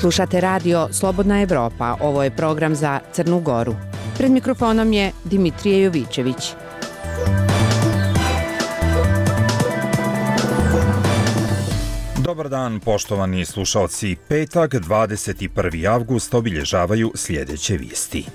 Slušate radio Slobodna Evropa, ovo je program za Crnu Goru. Pred mikrofonom je Dimitrije Jovićević. Dobar dan, poštovani slušalci. Petak, 21. avgust, obilježavaju sljedeće vijesti.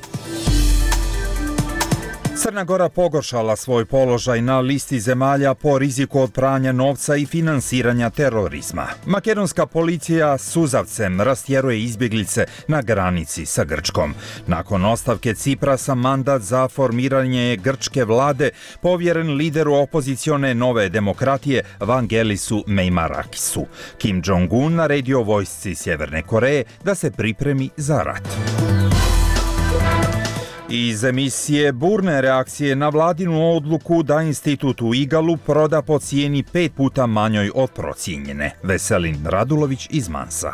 Crna Gora pogoršala svoj položaj na listi zemalja po riziku od pranja novca i finansiranja terorizma. Makedonska policija suzavcem rastjeruje izbjeglice na granici sa Grčkom. Nakon ostavke Ciprasa, mandat za formiranje grčke vlade povjeren lideru opozicione Nove demokratije Vangelisu Meimarakisu. Kim Jong-un naredio vojsci Sjeverne Koreje da se pripremi za rat. Iz emisije burne reakcije na vladinu odluku da institut u Igalu proda po cijeni 5 puta manjoj od procijenjene. Veselin Radulović iz Mansa.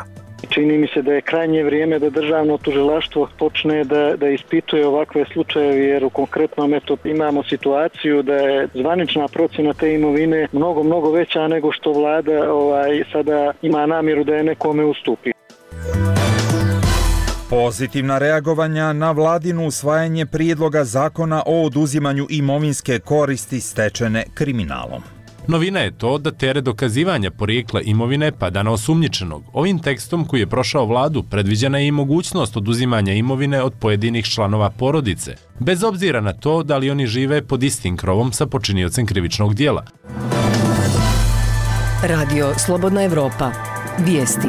Čini mi se da je krajnje vrijeme da državno tužilaštvo počne da ispituje ovakve slučajeve, jer u konkretnom imamo situaciju da je zvanična procjena te imovine mnogo veća nego što vlada sada ima namjeru da je nekome ustupi. Pozitivna reagovanja na vladinu usvajanje prijedloga zakona o oduzimanju imovinske koristi stečene kriminalom. Novina je to da teret dokazivanja porijekla imovine pada na osumnjičenog. Ovim tekstom koji je prošao vladu predviđena je i mogućnost oduzimanja imovine od pojedinih članova porodice, bez obzira na to da li oni žive pod istim krovom sa počiniocem krivičnog dijela. Radio Slobodna Evropa. Vijesti.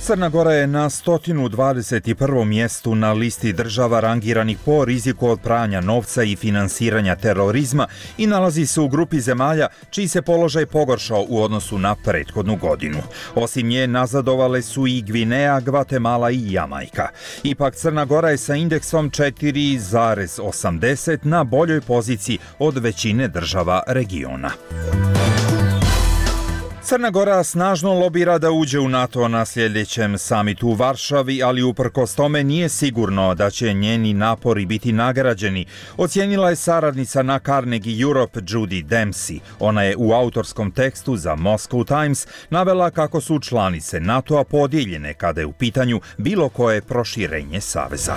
Crna Gora je na 121. mjestu na listi država rangiranih po riziku od pranja novca i finansiranja terorizma i nalazi se u grupi zemalja čiji se položaj pogoršao u odnosu na prethodnu godinu. Osim nje nazadovale su i Gvineja, Gvatemala i Jamajka. Ipak Crna Gora je sa indeksom 4,80 na boljoj poziciji od većine država regiona. Crna Gora snažno lobira da uđe u NATO na sljedećem samitu u Varšavi, ali uprkos tome nije sigurno da će njeni napori biti nagrađeni, ocijenila je saradnica na Carnegie Europe Judy Dempsey. Ona je u autorskom tekstu za Moscow Times navela kako su članice NATO-a podijeljene kada je u pitanju bilo koje proširenje saveza.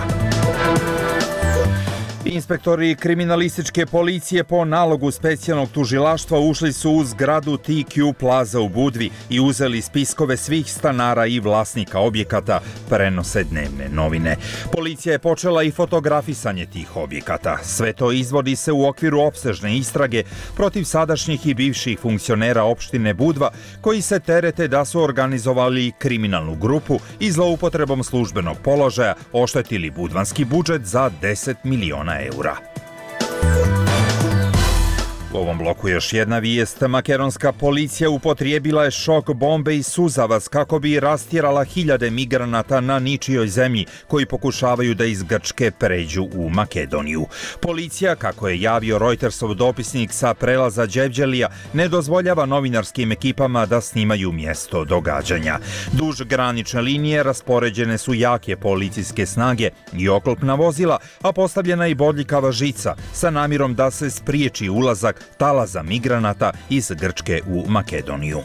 Inspektori kriminalističke policije po nalogu specijalnog tužilaštva ušli su u zgradu TQ Plaza u Budvi i uzeli spiskove svih stanara i vlasnika objekata, prenose dnevne novine. Policija je počela i fotografisanje tih objekata. Sve to izvodi se u okviru opsežne istrage protiv sadašnjih i bivših funkcionera opštine Budva, koji se terete da su organizovali kriminalnu grupu i zloupotrebom službenog položaja oštetili budvanski budžet za 10 miliona eura. U ovom bloku još jedna vijest. Makedonska policija upotrijebila je šok bombe i suzavac kako bi rastjerala hiljade migranata na ničijoj zemlji koji pokušavaju da iz Grčke pređu u Makedoniju. Policija, kako je javio Reutersov dopisnik sa prelaza Đevđelija, ne dozvoljava novinarskim ekipama da snimaju mjesto događanja. Duž granične linije raspoređene su jake policijske snage i oklopna vozila, a postavljena i bodljikava žica sa namjerom da se spriječi ulazak talaza migranata iz Grčke u Makedoniju.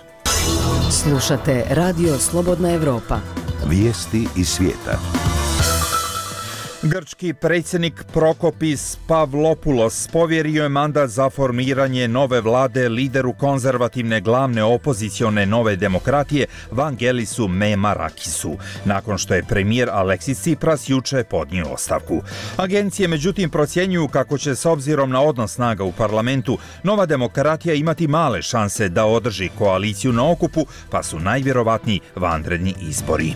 Slušate Radio Slobodna Evropa. Vijesti iz svijeta. Grčki predsjednik Prokopis Pavlopoulos povjerio je mandat za formiranje nove vlade lideru konzervativne glavne opozicione Nove demokratije Vangelisu Meimarakisu, nakon što je premijer Aleksis Tsipras juče podnio ostavku. Agencije međutim procjenjuju kako će s obzirom na odnos snaga u parlamentu Nova demokratija imati male šanse da održi koaliciju na okupu, pa su najvjerovatniji vanredni izbori.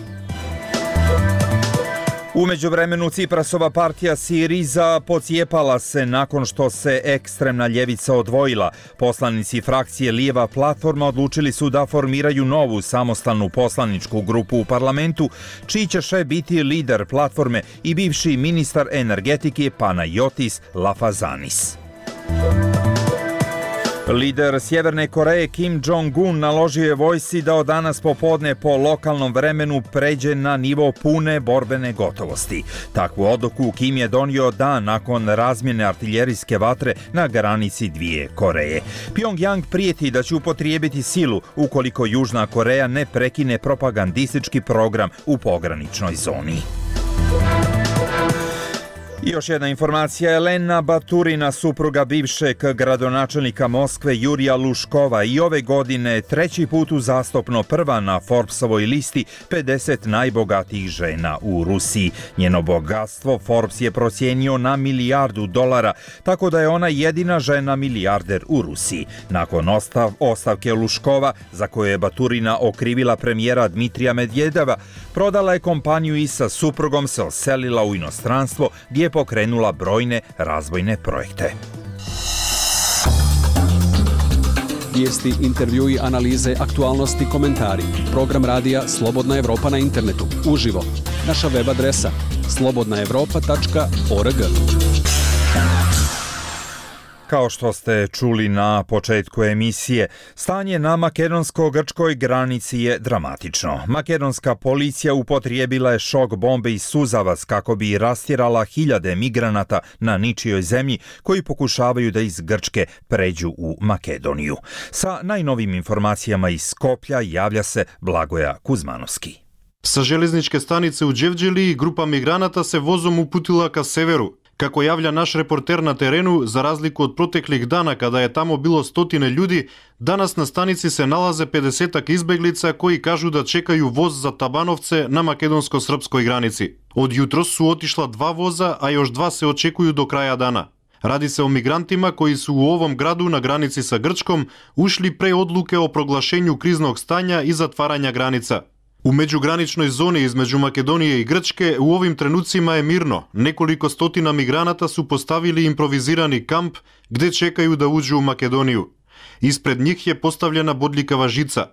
U međuvremenu Ciprasova partija Siriza pocijepala se nakon što se ekstremna ljevica odvojila. Poslanici frakcije Lijeva platforma odlučili su da formiraju novu samostalnu poslaničku grupu u parlamentu, čiji će šef biti lider platforme i bivši ministar energetike Panayotis Lafazanis. Lider Sjeverne Koreje Kim Jong-un naložio je vojsci da od danas popodne po lokalnom vremenu pređe na nivo pune borbene gotovosti. Takvu odluku Kim je donio dan nakon razmjene artiljerijske vatre na granici dvije Koreje. Pyongyang prijeti da će upotrijebiti silu ukoliko Južna Koreja ne prekine propagandistički program u pograničnoj zoni. I još jedna informacija, Elena Baturina, supruga bivšeg gradonačelnika Moskve Jurija Luškova, i ove godine treći put uzastopno prva na Forbesovoj listi 50 najbogatijih žena u Rusiji. Njeno bogatstvo Forbes je procijenio na $1 milijardu, tako da je ona jedina žena milijarder u Rusiji. Nakon ostavke Luškova, za koju je Baturina okrivila premijera Dmitrija Medvedeva, prodala je kompaniju i sa suprugom se oselila u inostranstvo gdje je pokrenula brojne razvojne projekte. Vijesti, intervjui, analize, aktualnosti, komentari. Program radija Slobodna Evropa na internetu. Uživo. Naša web adresa slobodnaevropa.org. Kao što ste čuli na početku emisije, stanje na makedonsko-grčkoj granici je dramatično. Makedonska policija upotrijebila je šok bombe i suzavac kako bi rastjerala hiljade migranata na ničijoj zemlji koji pokušavaju da iz Grčke pređu u Makedoniju. Sa najnovim informacijama iz Skoplja javlja se Blagoja Kuzmanovski. Sa železničke stanice u Đevđeliji grupa migranata se vozom uputila ka severu. Kako javlja naš reporter na terenu, za razliku od proteklih dana kada je tamo bilo stotine ljudi, danas na stanici se nalaze 50-ak izbeglica koji kažu da čekaju voz za Tabanovce na makedonsko-srpskoj granici. Od jutros su otišla 2 voza, a još 2 se očekuju do kraja dana. Radi se o migrantima koji su u ovom gradu na granici sa Grčkom ušli pre odluke o proglašenju kriznog stanja i zatvaranja granica. U međugraničnoj zoni između Makedonije i Grčke u ovim trenucima je mirno. Nekoliko stotina migranata su postavili improvizirani kamp gde čekaju da uđu u Makedoniju. Ispred njih je postavljena bodljikava žica.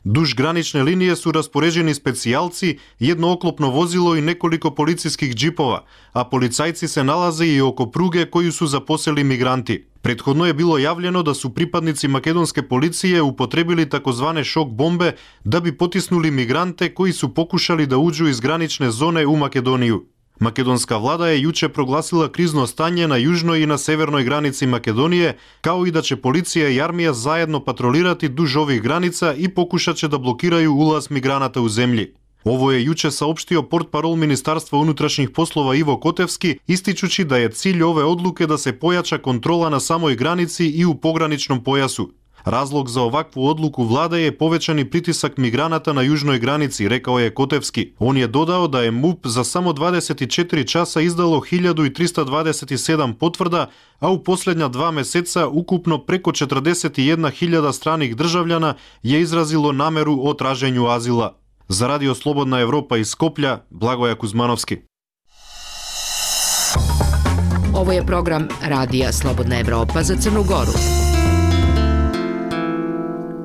Duž granične linije su raspoređeni specijalci, jedno oklopno vozilo i nekoliko policijskih džipova, a policajci se nalaze i oko pruge koju su zaposeli migranti. Prethodno je bilo javljeno da su pripadnici makedonske policije upotrebili takozvane šok bombe da bi potisnuli migrante koji su pokušali da uđu iz granične zone u Makedoniju. Makedonska vlada je juče proglasila krizno stanje na južnoj i na severnoj granici Makedonije, kao i da će policija i armija zajedno patrolirati duž ovih granica i pokušat će da blokiraju ulaz migranata u zemlji. Ovo je juče saopštio portparol Ministarstva unutrašnjih poslova Ivo Kotevski, ističući da je cilj ove odluke da se pojača kontrola na samoj granici i u pograničnom pojasu. Razlog za ovakvu odluku vlade je povećani pritisak migranata na južnoj granici, rekao je Kotevski. On je dodao da je MUP za samo 24 časa izdalo 1327 potvrda, a u posljednja 2 meseca ukupno preko 41.000 stranih državljana je izrazilo nameru o traženju azila. Za Radio Slobodna Evropa iz Skoplja, Blagoja Kuzmanovski. Ovo je program Radija Slobodna Evropa za Crnu Goru.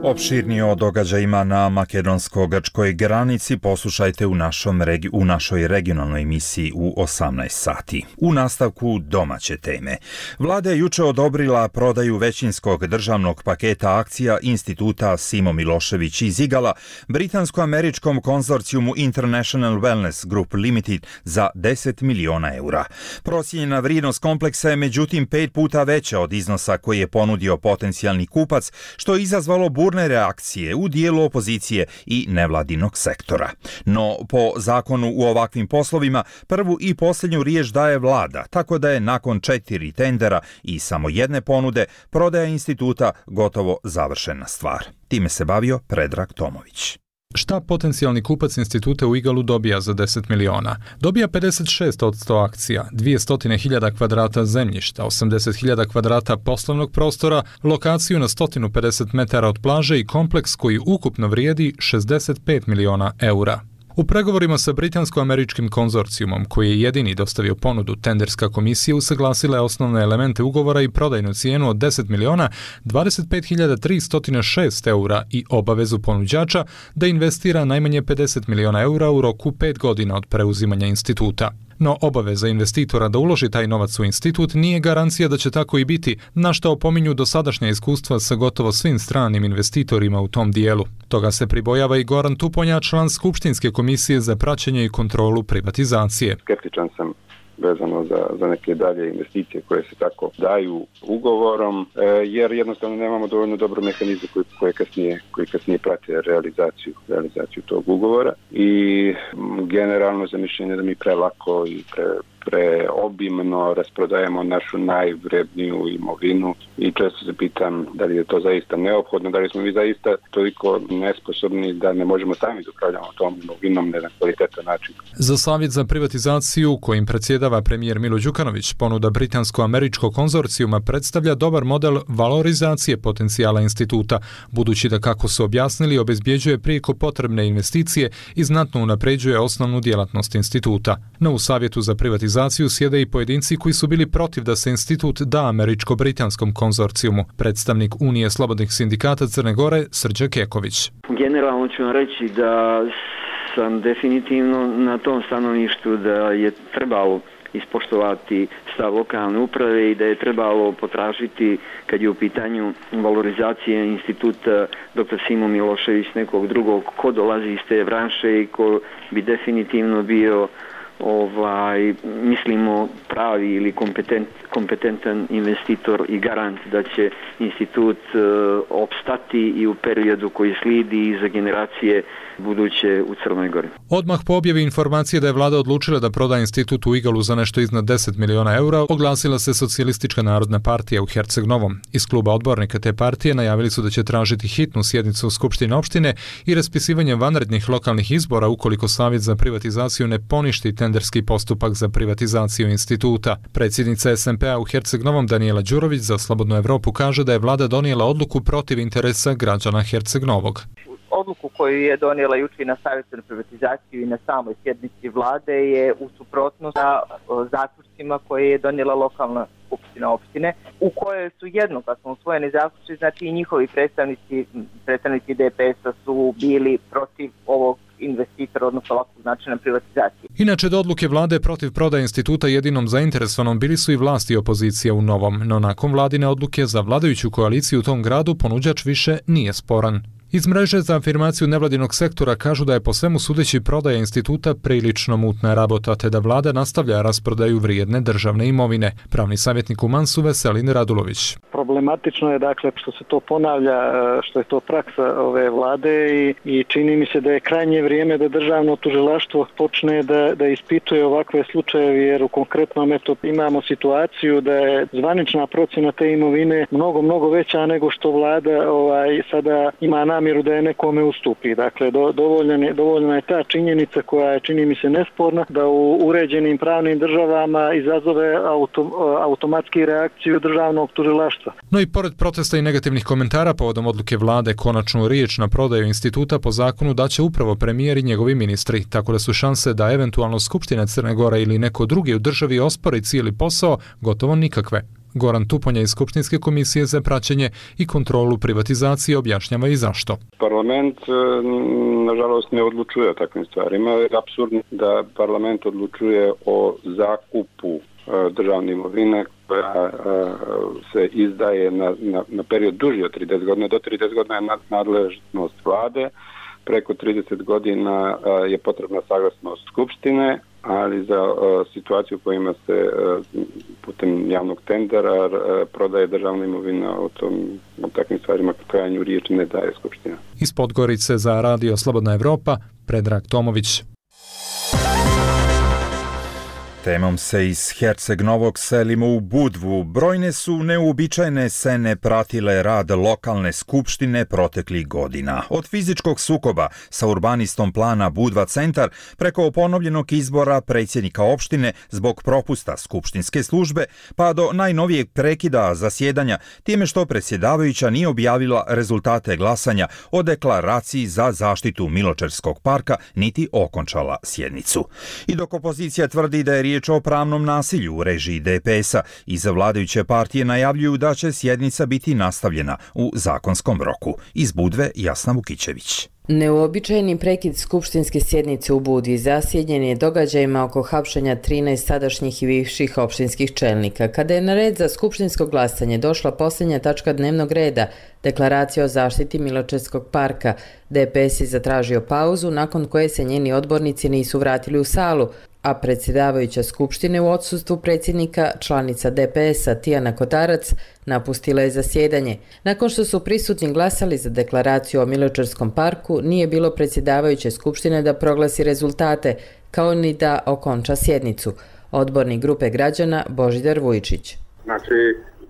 Opširnije o događajima na makedonsko-grčkoj granici poslušajte u našoj regionalnoj emisiji u 18 sati. U nastavku domaće teme. Vlada je juče odobrila prodaju većinskog državnog paketa akcija Instituta Simo Milošević iz Igala britansko-američkom konzorcijumu International Wellness Group Limited za 10 miliona eura. Procijenjena vrijednost kompleksa je međutim 5 puta veća od iznosa koji je ponudio potencijalni kupac, što je izazvalo burne reakcije u dijelu opozicije i nevladinog sektora. No, po zakonu u ovakvim poslovima prvu i posljednju riječ daje vlada, tako da je nakon 4 tendera i samo jedne ponude prodaja instituta gotovo završena stvar. Time se bavio Predrag Tomović. Šta potencijalni kupac instituta u Igalu dobija za 10 miliona? Dobija 56% akcija, 200.000 kvadrata zemljišta, 80.000 kvadrata poslovnog prostora, lokaciju na 150 metara od plaže i kompleks koji ukupno vrijedi 65 miliona eura. U pregovorima sa britansko-američkim konzorcijumom, koji je jedini dostavio ponudu, tenderska komisija usaglasila je osnovne elemente ugovora i prodajnu cijenu od 10 miliona 25.306 eura i obavezu ponuđača da investira najmanje 50 miliona eura u roku 5 godina od preuzimanja instituta. No obaveza investitora da uloži taj novac u institut nije garancija da će tako i biti, na što opominju dosadašnja iskustva sa gotovo svim stranim investitorima u tom dijelu. Toga se pribojava i Goran Tuponja, član Skupštinske komisije za praćenje i kontrolu privatizacije. Skeptičan sam vezano za neke dalje investicije koje se tako daju ugovorom, jer jednostavno nemamo dovoljno dobro mehanizme koji kasnije prate realizaciju tog ugovora i generalno za mišljenje da mi prelako i preobimno rasprodajemo našu najvredniju imovinu i često se pitam da li je to zaista neophodno, da li smo mi zaista toliko nesposobni da ne možemo sami da upravljamo tom imovinom na jedan kvalitetan način. Za savjet za privatizaciju kojim predsjedava premijer Milo Đukanović, ponuda britansko-američkog konzorcijuma predstavlja dobar model valorizacije potencijala instituta, budući da, kako su objasnili, obezbjeđuje prijeko potrebne investicije i znatno unapređuje osnovnu djelatnost instituta. No u savjetu za privatizaciju sjede i pojedinci koji su bili protiv da se institut da američko-britanskom konzorcijumu. Predstavnik Unije slobodnih sindikata Crne Gore, Srđan Keković. Generalno ću vam reći da sam definitivno na tom stanovištu da je trebalo ispoštovati stav lokalne uprave i da je trebalo potražiti, kad je u pitanju valorizacije instituta dr. Simo Milošević, nekog drugog ko dolazi iz te branše i ko bi definitivno bio mislimo pravi ili kompetentan investitor i garant da će institut opstati i u periodu koji slijedi i za generacije buduće u Crnoj Gori. Odmah po objavi informacije da je vlada odlučila da proda institut u Igalu za nešto iznad 10 miliona eura, oglasila se Socijalistička narodna partija u Herceg Novom. Iz kluba odbornika te partije najavili su da će tražiti hitnu sjednicu Skupštine opštine i raspisivanje vanrednih lokalnih izbora ukoliko Savjet za privatizaciju ne poništi tenderski postupak za privatizaciju instituta. Predsjednica SMP-a u Herceg Novom Danijela Đurović za Slobodnu Evropu kaže da je vlada donijela odluku protiv interesa građana Herceg Novog. Odluku koju je donijela jučer na Savjetu za privatizaciju i na samoj sjednici vlade je u suprotnosti sa zaključcima koje je donijela lokalna skupština opštine, u kojoj su jednoglasno usvojeni zaključci, znači i njihovi predstavnici DPS-a su bili protiv ovog investitora, odnosno ovakvog načina privatizacije. Inače, do odluke vlade protiv prodaje instituta jedinom zainteresovanom bili su i vlasti i opozicija u Novom, no nakon vladine odluke za vladajuću koaliciju u tom gradu ponuđač više nije sporan. Iz mreže za afirmaciju nevladinog sektora kažu da je po svemu sudeći prodaja instituta prilično mutna rabota, te da vlada nastavlja rasprodaju vrijedne državne imovine. Pravni savjetnik u Mansu Veselin Radulović. Problematično je dakle što se to ponavlja, što je to praksa ove vlade i čini mi se da je krajnje vrijeme da državno tužilaštvo počne da ispituje ovakve slučajeve, jer u konkretnom imamo situaciju da je zvanična procjena te imovine mnogo veća nego što vlada sada ima namjeru da je nekome ustupi. Dakle, dovoljna je ta činjenica koja je, čini mi se, nesporna, da u uređenim pravnim državama izazove automatski reakciju državnog tužilaštva. No i pored protesta i negativnih komentara povodom odluke vlade, konačnu riječ na prodaju instituta po zakonu daće upravo premijer i njegovi ministri, tako da su šanse da eventualno Skupština Crne Gore ili neko drugi u državi ospori cijeli posao gotovo nikakve. Goran Tuponja iz Skupštinske komisije za praćenje i kontrolu privatizacije objašnjava i zašto. Parlament, nažalost, ne odlučuje o takvim stvarima. Je apsurdno da parlament odlučuje o zakupu državne imovine koja se izdaje na period duži od 30 godina. Do 30 godina je nadležnost vlade, preko 30 godina je potrebna saglasnost Skupštine, ali za situaciju u kojima se putem javnog tendera prodaje državna imovina, o takvim stvarima krajnju riječ ne daje Skupština. Iz Podgorice za Radio Slobodna Evropa, Predrag Tomović. Temom se iz Herceg Novog selimo u Budvu. Brojne su neuobičajene scene pratile rad lokalne skupštine proteklih godina. Od fizičkog sukoba sa urbanistom plana Budva centar preko ponovljenog izbora predsjednika opštine zbog propusta skupštinske službe, pa do najnovijeg prekida zasjedanja time što predsjedavajuća nije objavila rezultate glasanja o deklaraciji za zaštitu Miločerskog parka niti okončala sjednicu. I dok opozicija tvrdi da je riječ o pravnom nasilju u režiji DPS-a. Iz vladajuće partije najavljuju da će sjednica biti nastavljena u zakonskom roku. Iz Budve Jasna Vukićević. Neuobičajeni prekid skupštinske sjednice u Budvi zasjenjen je događajima oko hapšenja 13 sadašnjih i bivših opštinskih čelnika. Kada je na red za skupštinsko glasanje došla posljednja tačka dnevnog reda, deklaracija o zaštiti Miločevskog parka, DPS je zatražio pauzu nakon koje se njeni odbornici nisu vratili u salu, a predsjedavajuća skupštine u odsustvu predsjednika, članica DPS-a Tijana Kotarac, napustila je zasjedanje. Nakon što su prisutni glasali za deklaraciju o Miločevskom parku, nije bilo predsjedavajuće skupštine da proglasi rezultate, kao ni da okonča sjednicu. Odbornik grupe građana Božidar Vujčić. Znači,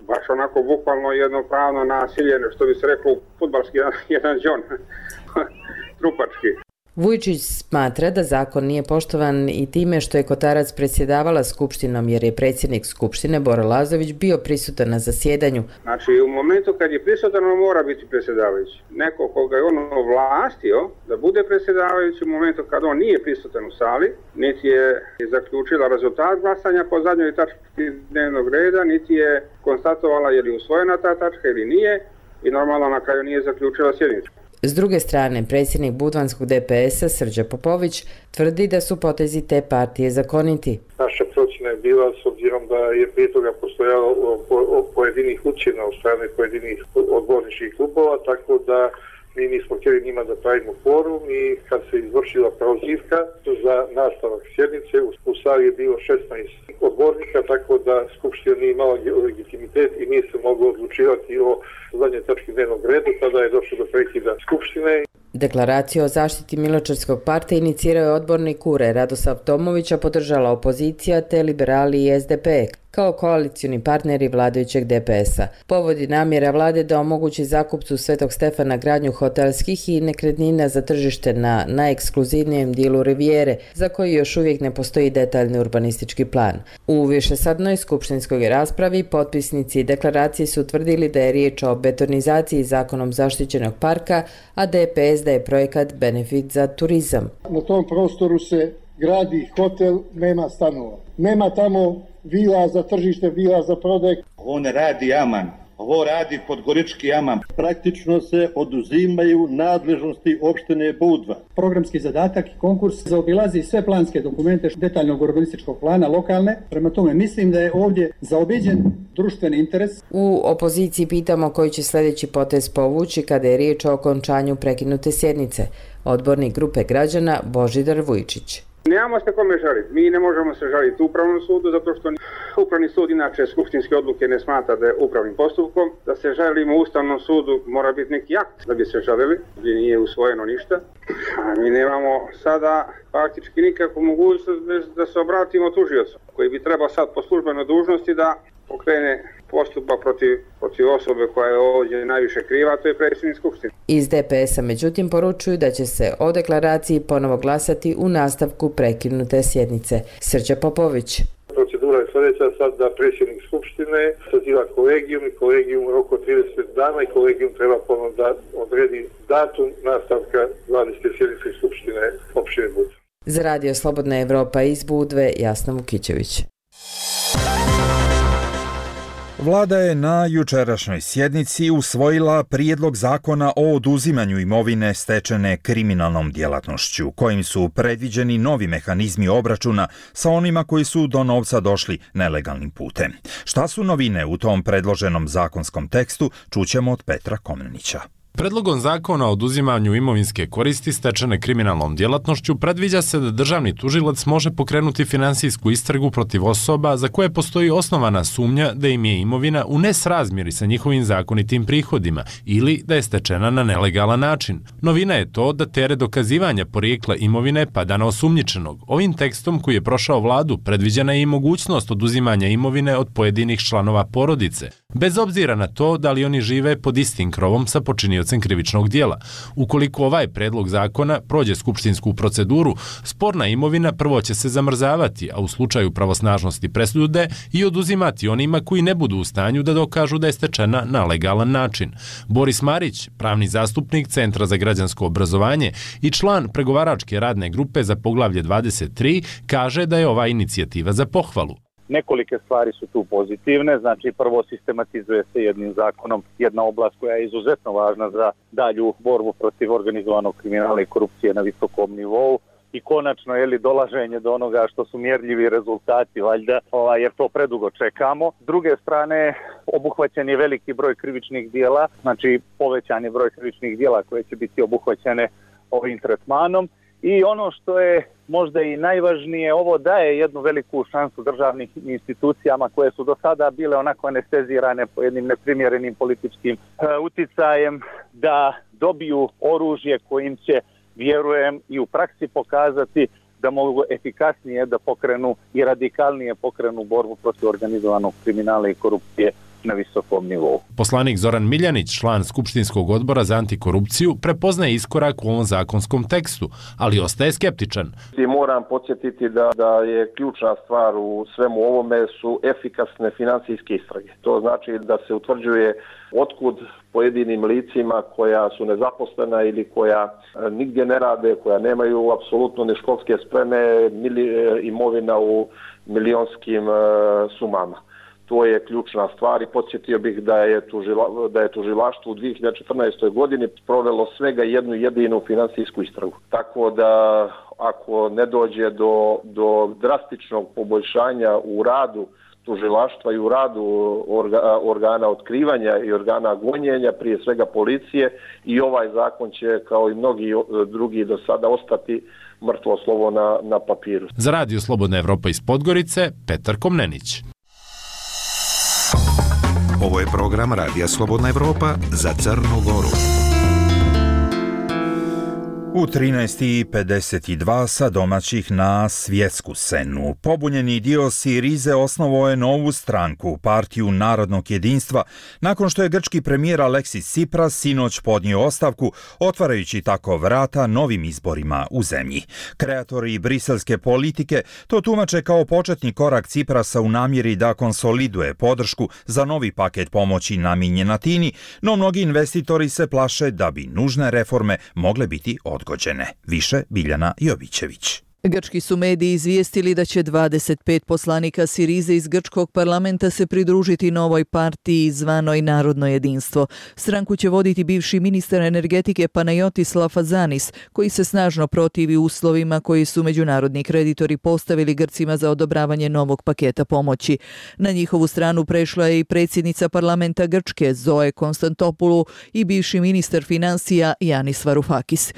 baš onako bukvalno jedno pravno nasilje, što bi se reklo fudbalski jedan džon, trupački. Vujčić smatra da zakon nije poštovan i time što je Kotarac predsjedavala skupštinom jer je predsjednik skupštine Bora Lazović bio prisutan na zasjedanju. Znači u momentu kad je prisutan on mora biti predsjedavajući. Neko koga je on ovlastio da bude predsjedavajući u momentu kad on nije prisutan u sali, niti je zaključila rezultat glasanja po zadnjoj tački dnevnog reda, niti je konstatovala je li usvojena ta tačka ili nije i normalno na kraju nije zaključila sjednicu. S druge strane, predsjednik budvanskog DPS-a Srđa Popović tvrdi da su potezi te partije zakoniti. Naša procjena je bila, s obzirom da je prije toga postojalo pojedinih ucjena od strane pojedinih odborničkih klubova, tako da mi nismo htjeli njima da pravimo kvorum i kad se izvršila prozivka za nastavak sjednice, u sali je bilo 16 odbornika, tako da skupština nije imala legitimitet i nije se moglo odlučivati o zadnje tački dnevnog reda, tada je došlo do prekida skupštine. Deklaraciju o zaštiti Miločevskog parka inicirao je odbornik KURE Radosav Tomović, a podržala opozicija te liberali i SDP kao koalicioni partneri vladajućeg DPS-a. Povodi namjera vlade da omogući zakupcu Svetog Stefana gradnju hotelskih i nekretnina za tržište na najekskluzivnijem dijelu Rivijere, za koji još uvijek ne postoji detaljni urbanistički plan. U višesadnoj skupštinskoj raspravi potpisnici deklaracije su utvrdili da je riječ o betonizaciji zakonom zaštićenog parka, a DPS da je projekat benefit za turizam. Na tom prostoru se gradi hotel, nema stanova. Nema tamo vila za tržište, vila za prodaj. Ovo ne radi Aman, ovo radi Podgorički Aman. Praktično se oduzimaju nadležnosti opštine Budva. Programski zadatak i konkurs zaobilazi sve planske dokumente detaljnog urbanističkog plana lokalne. Prema tome mislim da je ovdje zaobiđen društveni interes. U opoziciji pitamo koji će sljedeći potez povući kada je riječ o okončanju prekinute sjednice. Odbornik grupe građana Božidar Vujčić. Nemamo se kome žaliti. Mi ne možemo se žaliti Upravnom sudu zato što Upravni sud inače skupštinske odluke ne smatra da je upravnim postupkom. Da se žalimo Ustavnom sudu mora biti neki akt da bi se žalili, gdje nije usvojeno ništa. A mi nemamo sada faktički nikakvu mogućnost da se obratimo tužiocu koji bi trebao sad po službenoj dužnosti da pokrene postupak protiv osobe koja je ovdje najviše kriva, to je predsjednik skupštine. Iz DPS-a međutim poručuju da će se o deklaraciji ponovo glasati u nastavku prekinute sjednice. Srđa Popović. Procedura je sljedeća sad da predsjednik skupštine saziva kolegijum i kolegijum u roku 30 dana i kolegijum treba ponovno da odredi datum nastavka 20. sjednice skupštine opštine Budva. Za Radio Slobodna Evropa iz Budve, Jasna Vukićević. Vlada je na jučerašnjoj sjednici usvojila prijedlog zakona o oduzimanju imovine stečene kriminalnom djelatnošću, kojim su predviđeni novi mehanizmi obračuna sa onima koji su do novca došli nelegalnim putem. Šta su novine u tom predloženom zakonskom tekstu, čućemo od Petra Komnenića. Predlogom zakona o oduzimanju imovinske koristi stečene kriminalnom djelatnošću predviđa se da državni tužilac može pokrenuti finansijsku istragu protiv osoba za koje postoji osnovana sumnja da im je imovina u nesrazmjeri sa njihovim zakonitim prihodima ili da je stečena na nelegalan način. Novina je to da teret dokazivanja porijekla imovine pada na osumnjičenog. Ovim tekstom koji je prošao vladu predviđena je i mogućnost oduzimanja imovine od pojedinih članova porodice. bez obzira na to da li oni žive pod istim krovom sa počiniocem krivičnog dijela. Ukoliko ovaj predlog zakona prođe skupštinsku proceduru, sporna imovina prvo će se zamrzavati, a u slučaju pravosnažnosti presude i oduzimati onima koji ne budu u stanju da dokažu da je stečena na legalan način. Boris Marić, pravni zastupnik Centra za građansko obrazovanje i član pregovaračke radne grupe za poglavlje 23, kaže da je ova inicijativa za pohvalu. Nekolike stvari su tu pozitivne, znači prvo sistematizuje se jednim zakonom jedna oblast koja je izuzetno važna za dalju borbu protiv organizovanog kriminala i korupcije na visokom nivou i konačno dolaženje do onoga što su mjerljivi rezultati, valjda, jer to predugo čekamo. S druge strane, obuhvaćen je veliki broj krivičnih dijela, znači povećan je broj krivičnih dijela koje će biti obuhvaćene ovim tretmanom. I ono što je možda i najvažnije, ovo daje jednu veliku šansu državnim institucijama koje su do sada bile onako anestezirane po jednim neprimjerenim političkim uticajem, da dobiju oružje kojim će, vjerujem, i u praksi pokazati da mogu efikasnije da pokrenu i radikalnije pokrenu borbu protiv organizovanog kriminala i korupcije na visokom nivou. Poslanik Zoran Miljanić, član Skupštinskog odbora za antikorupciju, prepoznaje iskorak u ovom zakonskom tekstu, ali ostaje skeptičan. Moram podsjetiti da je ključna stvar u svemu ovome su efikasne financijske istrage. To znači da se utvrđuje otkud pojedinim licima koja su nezaposlena ili koja nigdje ne rade, koja nemaju apsolutno ni školske spreme, imovina u milionskim sumama. To je ključna stvar i podsjetio bih da je tužilaštvo u 2014. godini provelo svega jednu jedinu financijsku istragu. Tako da ako ne dođe do drastičnog poboljšanja u radu tužilaštva i u radu organa otkrivanja i organa gonjenja, prije svega policije, i ovaj zakon će, kao i mnogi drugi do sada, ostati mrtvo slovo na papiru. Za Radio Slobodna Evropa iz Podgorice, Petar Komnenić. Ovo je program Radija Slobodna Evropa za Crnu Goru. U 13:52 sa domaćih na svjetsku scenu. Pobunjeni dio Sirize osnovao je novu stranku, Partiju narodnog jedinstva, nakon što je grčki premijer Aleksis Tsipras sinoć podnio ostavku, otvarajući tako vrata novim izborima u zemlji. Kreatori briselske politike to tumače kao početni korak Tsiprasa u namjeri da konsoliduje podršku za novi paket pomoći namijenjen Atini, no mnogi investitori se plaše da bi nužne reforme mogle biti odgođene. Više Biljana Jovićević. Grčki su mediji izvijestili da će 25 poslanika Sirize iz grčkog parlamenta se pridružiti novoj partiji zvanoj Narodno jedinstvo. Stranku će voditi bivši ministar energetike Panayotis Lafazanis, koji se snažno protivi uslovima koji su međunarodni kreditori postavili Grcima za odobravanje novog paketa pomoći. Na njihovu stranu prešla je i predsjednica parlamenta Grčke Zoe Konstantopoulou i bivši ministar financija Yanis Varoufakis.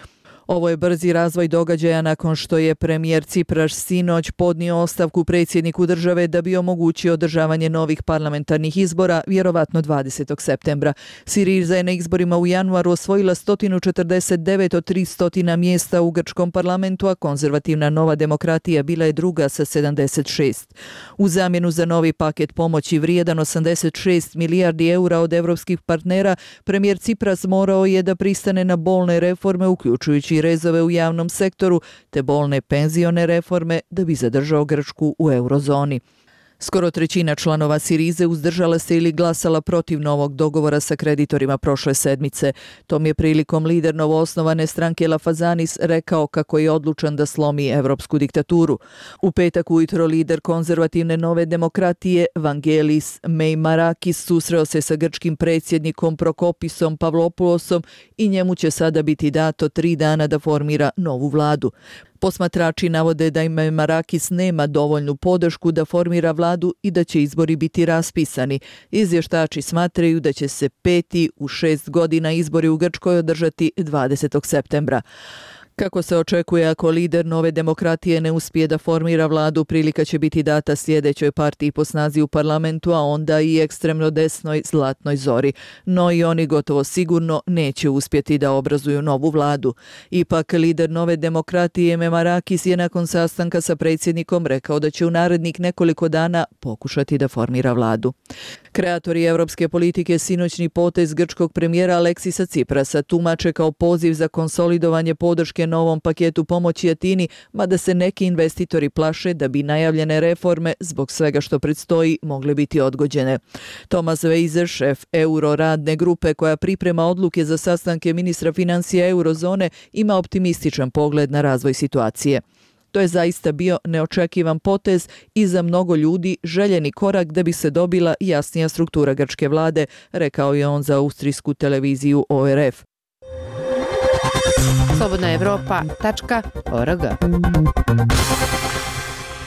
Ovo je brzi razvoj događaja nakon što je premijer Tsipras sinoć podnio ostavku predsjedniku države da bi omogućio održavanje novih parlamentarnih izbora, vjerovatno 20. septembra. Siriza je na izborima u januaru osvojila 149 od 300 mjesta u grčkom parlamentu, a konzervativna Nova demokratija bila je druga sa 76. U zamjenu za novi paket pomoći vrijedan 86 milijardi eura od evropskih partnera, premijer Tsipras morao je da pristane na bolne reforme, uključujući rezove u javnom sektoru te bolne penzione reforme da bi zadržao Grčku u eurozoni. Skoro trećina članova Sirize uzdržala se ili glasala protiv novog dogovora sa kreditorima prošle sedmice. Tom je prilikom lider novoosnovane stranke Lafazanis rekao kako je odlučan da slomi evropsku diktaturu. U petak ujutro lider konzervativne Nove demokratije Vangelis Meimarakis susreo se sa grčkim predsjednikom Prokopisom Pavlopoulosom i njemu će sada biti dato 3 dana da formira novu vladu. Posmatrači navode da Meimarakis nema dovoljnu podršku da formira vladu i da će izbori biti raspisani. Izvještači smatraju da će se 5. u 6 godina izbori u Grčkoj održati 20. septembra. Kako se očekuje, ako lider Nove demokratije ne uspije da formira vladu, prilika će biti data sljedećoj partiji po snazi u parlamentu, a onda i ekstremno desnoj Zlatnoj Zori. No i oni gotovo sigurno neće uspjeti da obrazuju novu vladu. Ipak, lider Nove demokratije Memarakis je nakon sastanka sa predsjednikom rekao da će u narednih nekoliko dana pokušati da formira vladu. Kreatori evropske politike sinoćni potez grčkog premijera Aleksisa Ciprasa tumače kao poziv za konsolidovanje podrške novom paketu pomoći Atini, mada se neki investitori plaše da bi najavljene reforme zbog svega što predstoji mogle biti odgođene. Thomas Weiser, šef Euroradne grupe koja priprema odluke za sastanke ministra financija eurozone, ima optimističan pogled na razvoj situacije. To je zaista bio neočekivan potez i za mnogo ljudi željeni korak da bi se dobila jasnija struktura grčke vlade, rekao je on za austrijsku televiziju ORF. slobodnaevropa.org.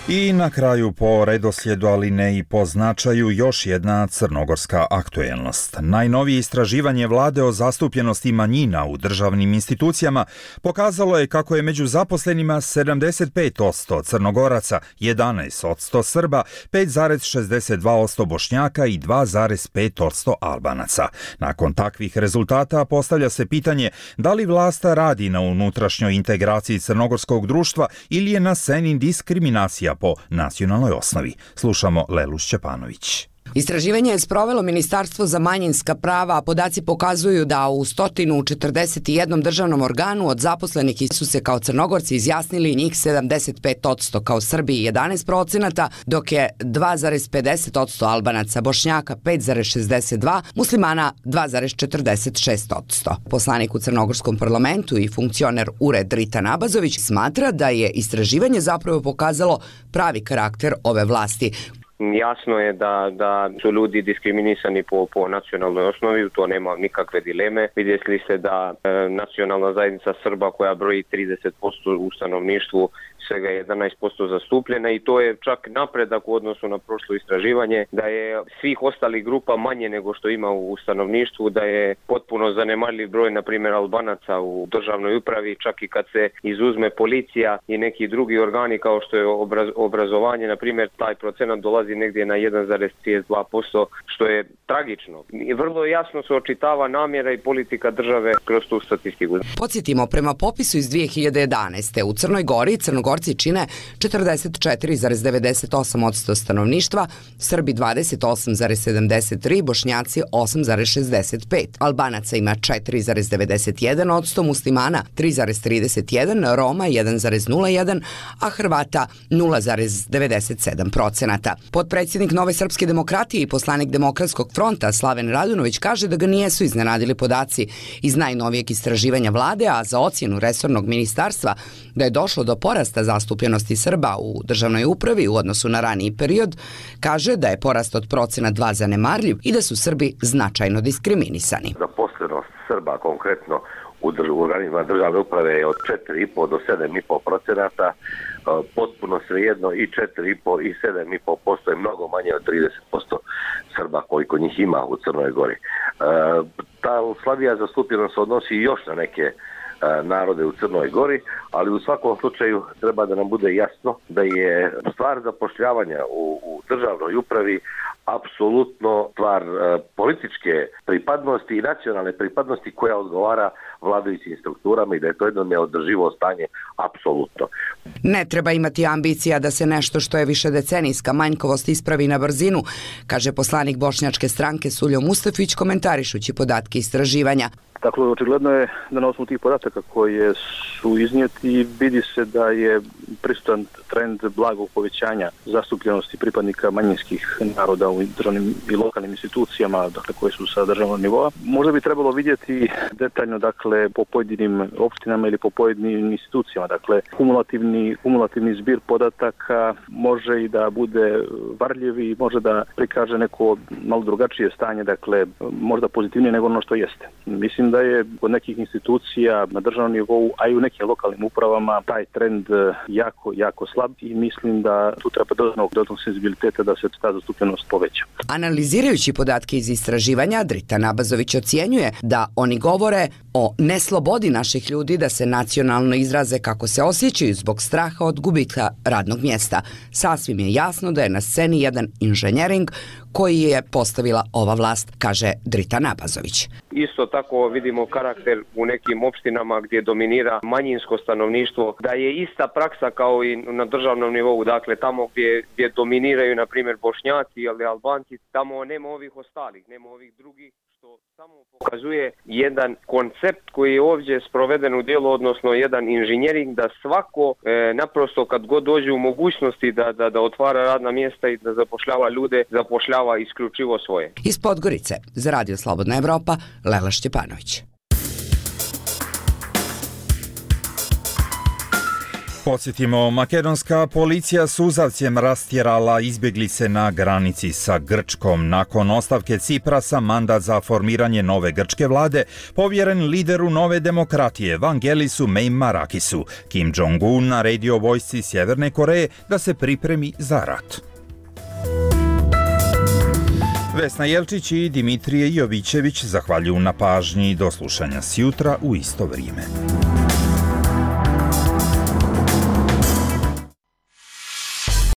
I na kraju po redoslijedu, ali ne i po značaju, još jedna crnogorska aktuelnost. Najnovije istraživanje vlade o zastupljenosti manjina u državnim institucijama pokazalo je kako je među zaposlenima 75% Crnogoraca, 11% Srba, 5,62% Bošnjaka i 2,5% Albanaca. Nakon takvih rezultata postavlja se pitanje da li vlast radi na unutrašnjoj integraciji crnogorskog društva ili je na sceni diskriminacija po nacionalnoj osnovi. Slušamo Lelu Šćepanović. Istraživanje je sprovelo Ministarstvo za manjinska prava, a podaci pokazuju da u 141 državnom organu od zaposlenih su se kao Crnogorci izjasnili njih 75%, kao Srbi 11%, dok je 2,50% Albanaca, Bošnjaka 5,62%, Muslimana 2,46%. Poslanik u Crnogorskom parlamentu i funkcioner URED Dritan Abazović smatra da je istraživanje zapravo pokazalo pravi karakter ove vlasti. Jasno je da su ljudi diskriminisani po nacionalnoj osnovi, to nema nikakve dileme. Vidjeli ste da nacionalna zajednica Srba koja broji 30% u stanovništvu svega 11% zastupljena i to je čak napredak u odnosu na prošlo istraživanje, da je svih ostalih grupa manje nego što ima u stanovništvu, da je potpuno zanemarljiv broj, na primjer, Albanaca u državnoj upravi, čak i kad se izuzme policija i neki drugi organi kao što je obrazovanje, na primjer, taj procenat dolazi negdje na 1,32%, što je tragično. I vrlo jasno se očitava namjera i politika države kroz tu statistiku. Podsjetimo, prema popisu iz 2011. u Crnoj Gori Crnogorci čine 44,98% stanovništva, Srbi 28,73%, Bošnjaci 8,65%. Albanaca ima 4,91%, Muslimana 3,31%, Roma 1,01%, a Hrvata 0,97%. Potpredsjednik Nove srpske demokratije i poslanik Demokratskog fronta Slaven Radunović kaže da ga nijesu iznenadili podaci iz najnovijeg istraživanja vlade, a za ocjenu resornog ministarstva da je došlo do porasta zastupljenosti Srba u državnoj upravi u odnosu na raniji period, kaže da je porast od procena 2 zanemarljiv i da su Srbi značajno diskriminisani. Zaposlenost Srba konkretno u organima državne uprave je od 4,5 do 7,5%, potpuno svejedno i 4,5 i 7,5% je mnogo manje od 30% Srba koliko njih ima u Crnoj Gori. Ta slabija zastupljenost odnosi još na neke narode u Crnoj Gori, ali u svakom slučaju treba da nam bude jasno da je stvar zapošljavanja u državnoj upravi apsolutno stvar političke pripadnosti i nacionalne pripadnosti koja odgovara vladajućim strukturama i da je to jedno neodrživo stanje apsolutno. Ne treba imati ambicija da se nešto što je višedecenijska manjkovost ispravi na brzinu, kaže poslanik Bošnjačke stranke Suljo Mustafić komentarišući podatke istraživanja. Dakle, očigledno je da na osnovu tih podataka koje su iznijeti vidi se da je prisutan trend blagog povećanja zastupljenosti pripadnika manjinskih naroda u državnim i lokalnim institucijama, dakle koje su sa državnog nivoa. Možda bi trebalo vidjeti detaljno, dakle, po pojedinim opštinama ili po pojedinim institucijama. Dakle, kumulativni zbir podataka može i da bude varljiv i može da prikaže neko malo drugačije stanje, dakle, možda pozitivnije nego ono što jeste. Mislim da je kod nekih institucija na državnom nivou, a i u nekim lokalnim upravama taj trend jako slab i mislim da tu treba dodatnog senzibiliteta da se ta zastupljenost poveća. veća. Analizirajući podatke iz istraživanja, Drita Nabazović ocjenjuje da oni govore o neslobodi naših ljudi da se nacionalno izraze kako se osjećaju zbog straha od gubitka radnog mjesta. Sasvim je jasno da je na sceni jedan inženjering koji je postavila ova vlast, kaže Drita Nabazović. Isto tako vidimo karakter u nekim opštinama gdje dominira manjinsko stanovništvo, da je ista praksa kao i na državnom nivou, dakle tamo gdje dominiraju na primjer Bošnjaci ili Albanci, tamo nema ovih ostalih, nema ovih drugih, što samo pokazuje jedan koncept koji je ovdje sproveden u djelo, odnosno jedan inženjering da svako naprosto kad god dođe u mogućnosti da otvara radna mjesta i da zapošljava ljude, zapošljava isključivo svoje. Iz Podgorice, za Radio Slobodna Evropa, Lela Šćepanović. Podsjetimo, makedonska policija suzavcem rastjerala izbjeglice na granici sa Grčkom. Nakon ostavke Ciprasa, mandat za formiranje nove grčke vlade povjeren lideru Nove demokratije Vangelisu Meimarakissu. Kim Jong-un naredio vojsci Sjeverne Koreje da se pripremi za rat. Vesna Jelčić i Dimitrije Jovićević zahvaljuju na pažnji. Do slušanja sjutra u isto vrijeme.